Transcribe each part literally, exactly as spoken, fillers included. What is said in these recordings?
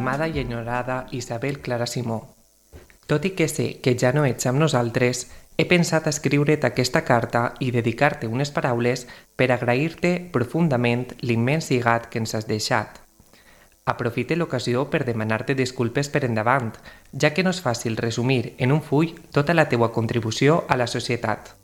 estimada i enyorada Isabel Clara Simó. Tot i que sé que ja no ets amb nosaltres, he pensat escriure't aquesta carta i dedicar-te unes paraules per agrair-te profundament l'immens llegat que ens has deixat. Aprofite l'ocasió per demanar-te disculpes per endavant, ja que no és fàcil resumir en un full tota la teua contribució a la societat.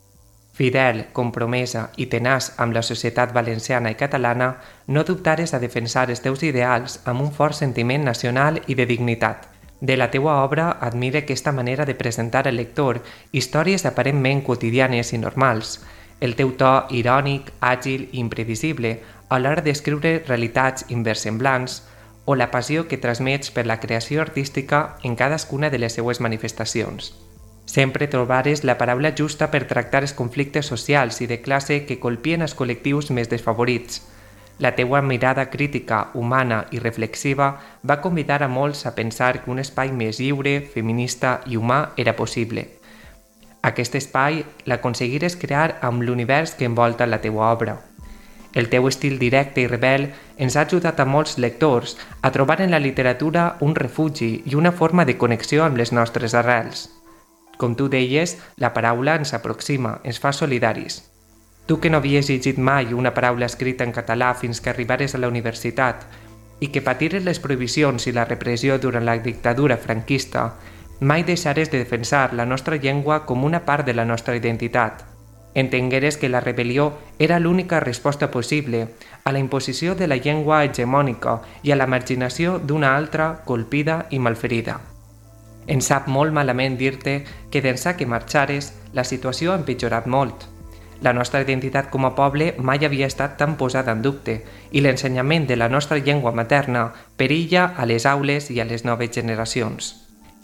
Fidel, compromesa i tenaç amb la societat valenciana i catalana, no dubtares a defensar els teus ideals amb un fort sentiment nacional i de dignitat. De la teua obra admire aquesta manera de presentar al lector històries aparentment quotidianes i normals, el teu to irònic, àgil i imprevisible a l'hora d'escriure realitats inversemblants o la passió que transmets per la creació artística en cadascuna de les seues manifestacions. Sempre trobares la paraula justa per tractar els conflictes socials i de classe que colpien els col·lectius més desfavorits. La teua mirada crítica, humana i reflexiva va convidar a molts a pensar que un espai més lliure, feminista i humà era possible. Aquest espai l'aconseguires crear amb l'univers que envolta la teua obra. El teu estil directe i rebel ens ha ajudat a molts lectors a trobar en la literatura un refugi i una forma de connexió amb les nostres arrels. Com tu deies, la paraula ens aproxima, ens fa solidaris. Tu que no havies llegit mai una paraula escrita en català fins que arribares a la universitat i que patires les prohibicions i la repressió durant la dictadura franquista, mai deixares de defensar la nostra llengua com una part de la nostra identitat. Entengueres que la rebel·lió era l'única resposta possible a la imposició de la llengua hegemònica i a la marginació d'una altra colpida i malferida. Em sap molt malament dir-te que d'ençà que marxares, la situació ha empitjorat molt. La nostra identitat com a poble mai havia estat tan posada en dubte i l'ensenyament de la nostra llengua materna perilla a les aules i a les noves generacions.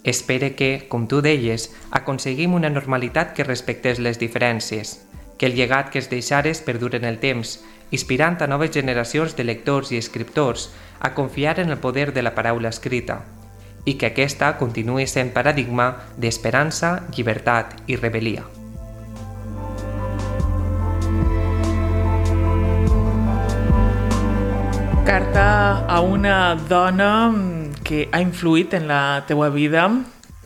Espere que, com tu deies, aconseguim una normalitat que respectés les diferències, que el llegat que es deixares perdure en el temps, inspirant a noves generacions de lectors i escriptors a confiar en el poder de la paraula escrita, i que aquesta continuï sent paradigma d'esperança, llibertat i rebel·lia. Carta a una dona que ha influït en la teua vida,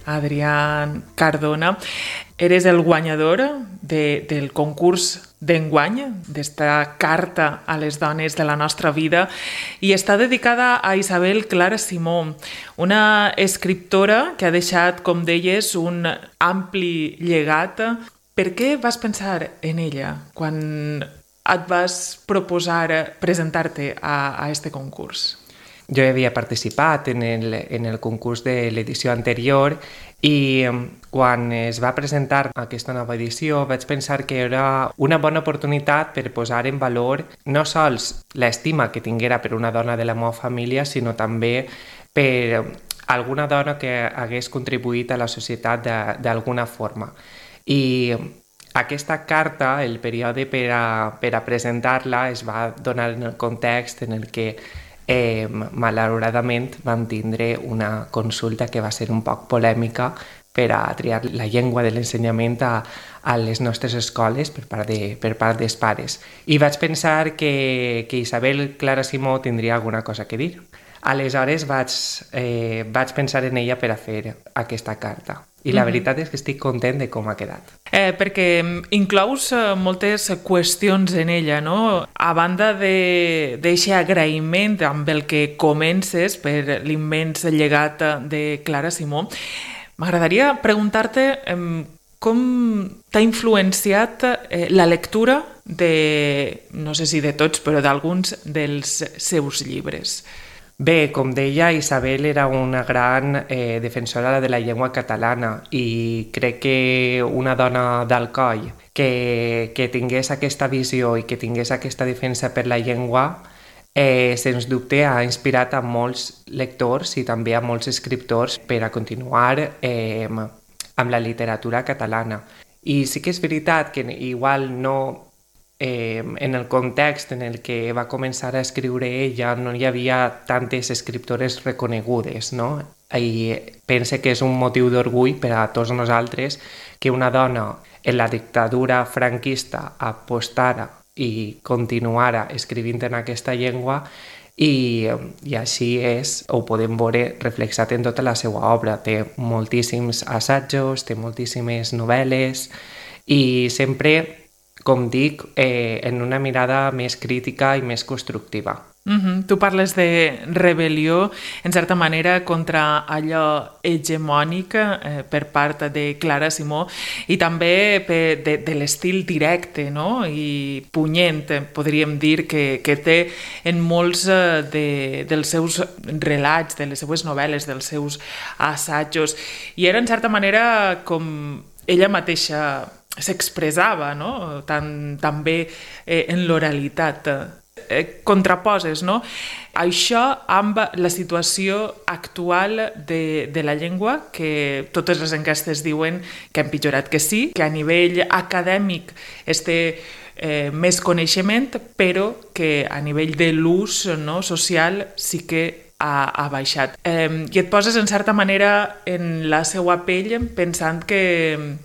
Adrián Cardona. Eres el guanyador de, del concurs d'enguany, d'esta carta a les dones de la nostra vida, i està dedicada a Isabel Clara Simó, una escriptora que ha deixat, com deies, un ampli llegat. Per què vas pensar en ella quan et vas proposar presentar-te a, a este concurs? Jo havia participat en el, en el concurs de l'edició anterior i quan es va presentar aquesta nova edició vaig pensar que era una bona oportunitat per posar en valor no sols l'estima que tinguera per una dona de la meva família, sinó també per alguna dona que hagués contribuït a la societat d'alguna forma. I aquesta carta, el període per a, per a presentar-la, es va donar en el context en el que Eh, malauradament vam tindre una consulta que va ser un poc polèmica per a triar la llengua de l'ensenyament a, a les nostres escoles per part, de, per part dels pares. I vaig pensar que, que Isabel Clara Simó tindria alguna cosa que dir. Aleshores vaig, eh, vaig pensar en ella per a fer aquesta carta. I la veritat és que estic content de com ha quedat. Eh, perquè inclous moltes qüestions en ella, no? A banda d'aquest agraïment amb el que comences per l'immens llegat de Clara Simó, m'agradaria preguntar-te eh, com t'ha influenciat eh, la lectura de, no sé si de tots, però d'alguns dels seus llibres. Bé, com deia, Isabel era una gran eh, defensora de la llengua catalana i crec que una dona d'Alcoi que, que tingués aquesta visió i que tingués aquesta defensa per la llengua, eh, sens dubte ha inspirat a molts lectors i també a molts escriptors per a continuar eh, amb la literatura catalana. I sí que és veritat que igual no... Eh, en el context en el que va començar a escriure ella no hi havia tantes escriptores reconegudes, no? I pense que és un motiu d'orgull per a tots nosaltres que una dona en la dictadura franquista apostara i continuara escrivint en aquesta llengua i, i així és, ho podem veure reflexat en tota la seva obra. Té moltíssims assajos, té moltíssimes novel·les i sempre, com dic, eh, en una mirada més crítica i més constructiva. Mm-hmm. Tu parles de rebel·lió, en certa manera, contra allò hegemònic eh, per part de Clara Simó i també per, de, de l'estil directe, no? I punyent, podríem dir, que, que té en molts eh, de, dels seus relats, de les seues novel·les, dels seus assajos. I era, en certa manera, com ella mateixa s'expressava, no? Tan, també eh, en l'oralitat. Eh, contraposes, no? Això amb la situació actual de, de la llengua, que totes les enquestes diuen que ha empitjorat que sí, que a nivell acadèmic es té eh, més coneixement, però que a nivell de l'ús, no, social sí que ha, ha baixat. Eh, I et poses, en certa manera, en la seva pell pensant que,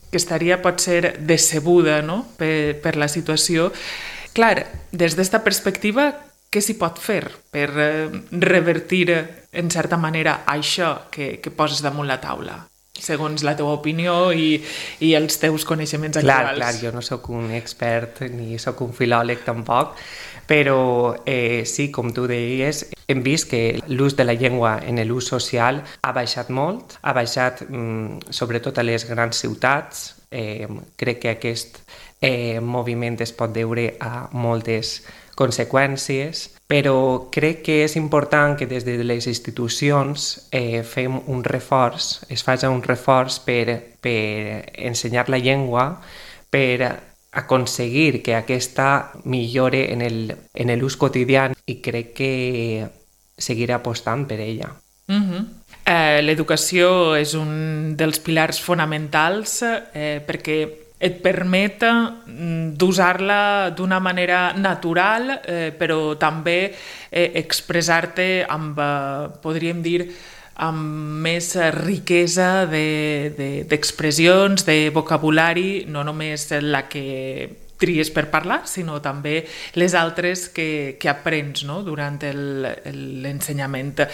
que estaria, pot ser, decebuda, no? per, per la situació. Clar, des d'esta perspectiva, què s'hi pot fer per eh, revertir, en certa manera, això que, que poses damunt la taula, segons la teva opinió i, i els teus coneixements actuals? Clar, clar, jo no sóc un expert ni sóc un filòleg tampoc, però eh, sí, com tu deies, hem vist que l'ús de la llengua en l'ús social ha baixat molt, ha baixat mm, sobretot a les grans ciutats. Eh, crec que aquest eh, moviment es pot deure a moltes conseqüències, però crec que és important que des de les institucions eh, fem un reforç, es faci un reforç per, per ensenyar la llengua, per aconseguir que aquesta millore en el, en l'ús quotidià i crec que seguiré apostant per ella. Mm-hmm. Eh, l'educació és un dels pilars fonamentals eh, perquè et permet d'usar-la d'una manera natural, eh, però també eh, expressar-te amb, eh, podríem dir, amb més riquesa de, de, d'expressions, de vocabulari, no només la que tries per parlar, sinó també les altres que, que aprens, no? Durant el, l'ensenyament.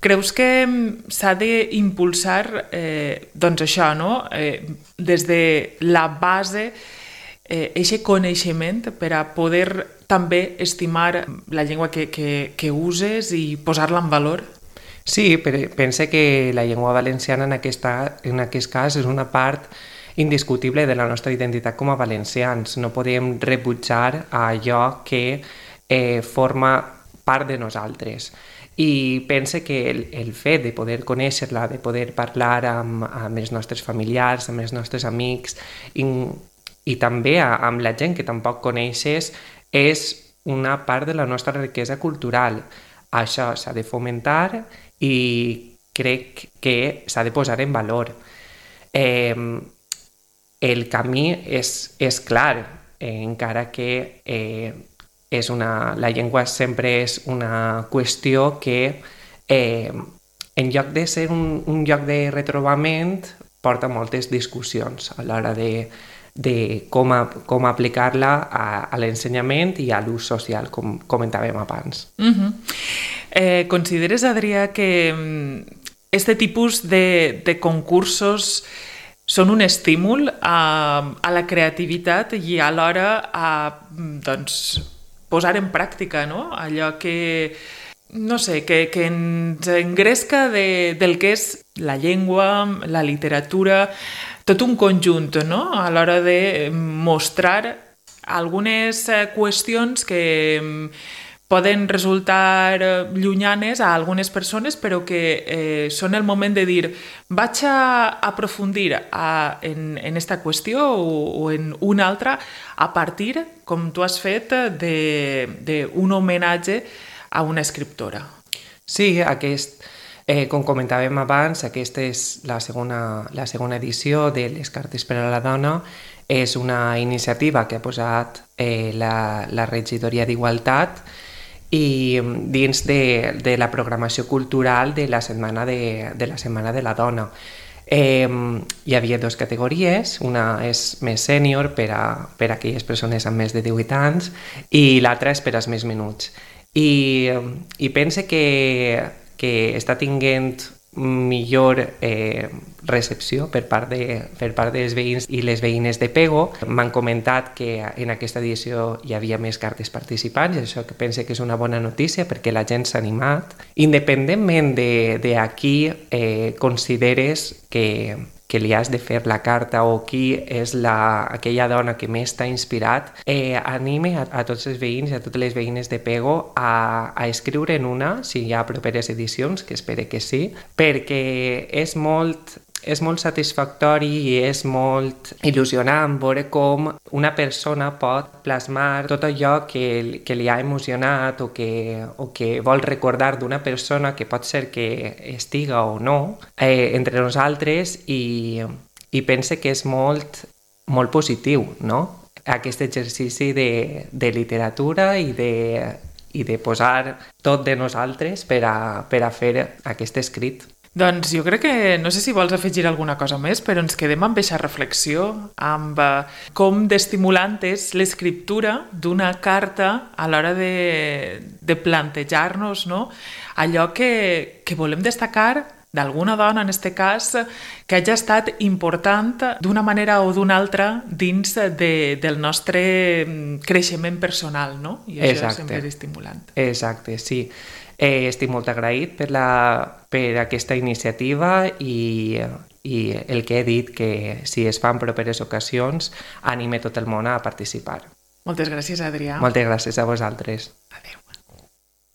Creus que s'ha d'impulsar eh, doncs això, no? Eh, des de la base, aquest eh, coneixement per a poder també estimar la llengua que, que, que uses i posar-la en valor? Sí, però pense que la llengua valenciana en, aquesta, en aquest cas és una part indiscutible de la nostra identitat com a valencians. No podem rebutjar allò que eh, forma part de nosaltres. I pense que el, el fet de poder conèixer-la, de poder parlar amb, amb els nostres familiars, amb els nostres amics i, i també a, amb la gent que tampoc coneixes és una part de la nostra riquesa cultural. Això s'ha de fomentar i crec que s'ha de posar en valor. Eh, el camí és, és clar, eh, encara que eh, és una, la llengua sempre és una qüestió que eh, en lloc de ser un, un lloc de retrobament porta moltes discussions a l'hora de, de com, a, com aplicar-la a, a l'ensenyament i a l'ús social, com comentàvem abans. Mm-hmm. eh, consideres, Adrià, que este tipus de, de concursos són un estímul a, a la creativitat i alhora a, doncs, posar en pràctica, no? Allò que, no sé, que, que ens engresca de, del que és la llengua, la literatura, tot un conjunt, no? A l'hora de mostrar algunes qüestions que poden resultar llunyanes a algunes persones, però que eh, són el moment de dir vaig a aprofundir a, en, en esta qüestió o, o en una altra a partir, com tu has fet, d'un homenatge a una escriptora. Sí, aquest, eh, com comentàvem abans, aquesta és la segona, la segona edició de Les cartes per a la dona. És una iniciativa que ha posat eh, la, la regidoria d'Igualtat i dins de, de la programació cultural de la setmana de, de la Setmana de la Dona. Eh, hi havia dues categories, una és més sènior per a, per a aquelles persones amb més de divuit anys i l'altra és per als més menuts. I, i pense que, que està tinguent millor eh, recepció per part, de, per part dels veïns i les veïnes de Pego. M'han comentat que en aquesta edició hi havia més cartes participants i això que pense que és una bona notícia perquè la gent s'ha animat. Independentment de, de a qui eh, consideres que, que li has de fer la carta o qui és la, aquella dona que més t'ha inspirat, eh, anime a, a tots els veïns i a totes les veïnes de Pego a, a escriure en una, si hi ha properes edicions, que espere que sí, perquè és molt... és molt satisfactori i és molt il·lusionant veure com una persona pot plasmar tot allò que, que li ha emocionat o que, o que vol recordar d'una persona que pot ser que estiga o no eh, entre nosaltres i, i pense que és molt, molt positiu, no? Aquest exercici de, de literatura i de, i de posar tot de nosaltres per a, per a fer aquest escrit. Doncs jo crec que, no sé si vols afegir alguna cosa més, però ens quedem amb aquesta reflexió, amb uh, com d'estimulant és l'escriptura d'una carta a l'hora de, de plantejar-nos, no? Allò que, que volem destacar d'alguna dona, en aquest cas, que hagi estat important d'una manera o d'una altra dins de, del nostre creixement personal, no? I això Exacte. Sempre és estimulant. Exacte, sí. Eh, estic molt agraït per, la, per aquesta iniciativa i, i el que he dit, que si es fa en properes ocasions, anime tot el món a participar. Moltes gràcies, Adrià. Moltes gràcies a vosaltres.